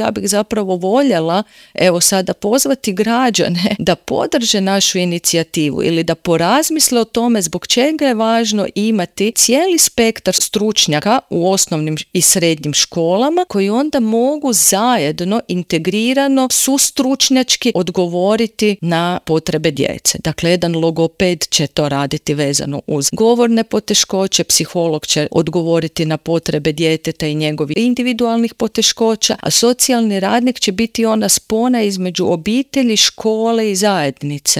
Ja bih zapravo voljela, evo sada, pozvati građane da podrže našu inicijativu ili da porazmisle o tome zbog čega je važno imati cijeli spektar stručnjaka u osnovnim i srednjim školama koji onda mogu zajedno, integrirano, sustručnjački odgovoriti na potrebe djece. Dakle, jedan logoped će to raditi vezano uz govorne poteškoće, psiholog će odgovoriti na potrebe djeteta i njegovih individualnih poteškoća, a socijalni radnik će biti ona spona između obitelji, škole i zajednice.